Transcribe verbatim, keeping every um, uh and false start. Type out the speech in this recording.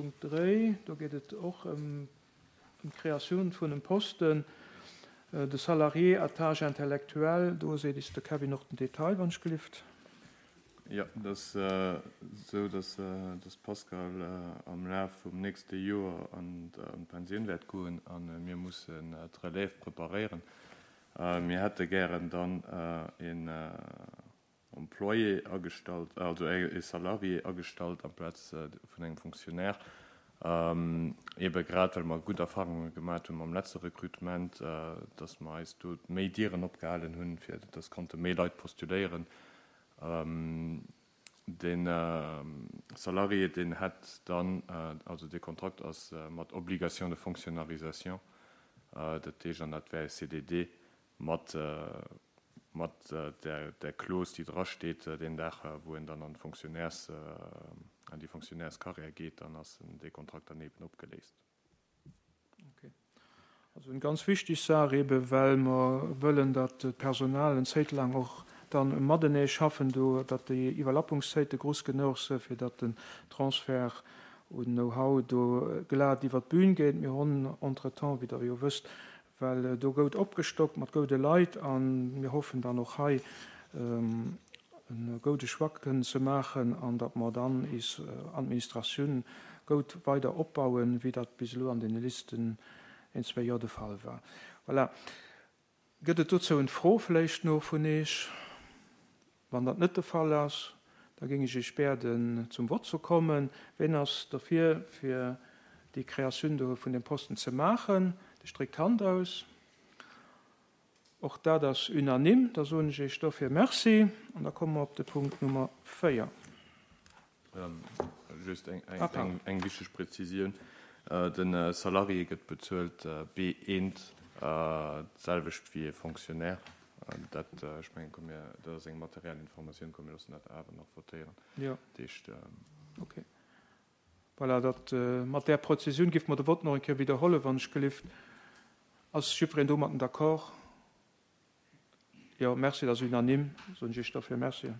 Punkt dräi, do geet et och ëm d'Kreatioun vun engem Posten de salarié à tâche intellectuelle. Do seet eis de Kevin och den Detail, wann ech gelift. Jo, et ass esou, dass de Pascal am Laf vum nächste Joer an d'Pensioun wäert goen a mir mussen d'Relève preparéieren. Mir hätte gären dann een Employé agestallt, also e Salarié agestallt amplaz vun engem Fonctionnaire, ebe grad well mer gutt Erfarunge gemaat hu mam letzte Recrutement, dass mer eis do méi Dieren opgehalen hunn, fir dass konnte méi Leit postuléieren. De Salarié, deen hätt dann, also de Kontrakt ass mat Obligation de fonctionnarisation, dat heescht, an dat wär e C D D mat mat der der Clause, déi drasteet, deen Dag, wou en dann an d'Fonctionnaires an déi Fonctionnairescarrière geet, dann ass dee Kontrakt dann eben opgeléist. Okay. Also eng ganz wichteg Saach eben, well mer wëllen, datt d'Personal eng Zäit laang och dann matenee schaffen do, datt déi Iwwerlappungszäite grouss genuch sinn, fir datt den Transfert un Know-how do glat iwwer d'Bün geet. Mir hunn entretemps, wéi Der jo wësst, well do goud opgestockt mat goude Leit a mir hoffen dann och hei e goude Choix kënnen ze maachen an datt mer dann is Administratioun goud weider opbauen, wéi dat bis elo an deene leschten een, zwee Joer de Fall war. Voilà. Gëtt et dozou eng Fro vläicht no vun Iech? Wann dat net de Fall ass, da géing ech Iech bieden, zum Vott ze kommen. Ween ass derfir, fir déi Kreatioun do vun dem Posten ze maachen? Dee streckt d'Hand aus. Och dat ass unanime. Da soen ech Iech dofir Merci an da komme mer op de Punkt Nummer véier. Just eng eng eng wichteg Präzisioun: De Salarié gëtt bezuelt B eent, d'selwecht wéi e Fonctionnaire. Dat, ech mengen, komm mir, dat ass eng materiell Informatioun, komm mir loossen dat awer nach votéieren. Jo. Dat heescht. Okay. Voilà, dat mat där Präzisioun géife mer de Vott nach eng Kéier widderhuelen, wann ech gelift. Ass jiddwereen domatten d'accord? Jo, merci, dat ass unanime. Soen ech Iech dofir Merci.